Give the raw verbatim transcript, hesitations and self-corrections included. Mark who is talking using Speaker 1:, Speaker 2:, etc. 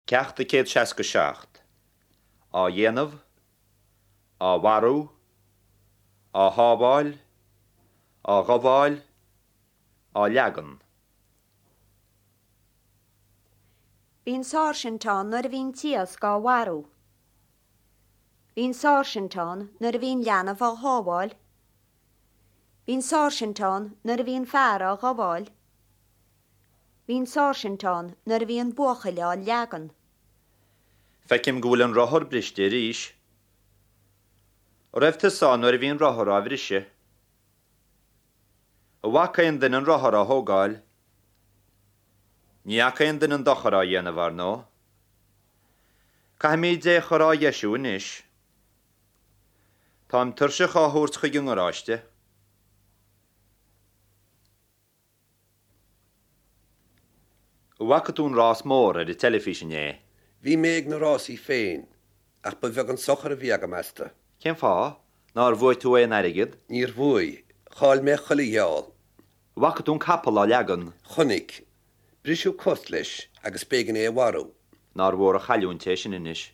Speaker 1: Ceacht a céad seasca seacht. Á dhéanamh, á mharú, á shábháil, á ghabháil, á leagan.
Speaker 2: Bhí an sáirsint ann nuair a bhí an t-iasc á mharú. Bhí an sáirsint ann nuair a bhí an leanbh á shábháil. Bhí an sáirsint ann nuair a bhí an fear á ghabháil. Bhí an sáirsint ann nuair a bhí an buachaill á leagan.
Speaker 1: Feicim go bhfuil an rothar briste arís. An raibh tusa ann nuair a bhí an rothar á bhriseadh? An bhfaca aon duine an rothar á thógáil? Ní fhaca aon duine an dochar á dhéanamh, ar ndóigh. Caithfimid é a chur á dheisiú anois. Táim tuirseach á thabhairt chuig an ngaráiste. An bhfaca tú an rás mór ar an teilifís inné?
Speaker 3: Bhí mé ag na rásaí féin, ach ba bheag an sochar a bhí agam astu.
Speaker 1: Cén fáth? Nár bhuaigh tú aon airgead?
Speaker 3: Níor bhuaigh. Chaill mé chuile gheall.
Speaker 1: An bhfaca tú an capall á leagan?
Speaker 3: Chonaic. Briseadh cos leis agus b'éigean é a mharú.
Speaker 1: Nár mhór an chailliúint é sin anois.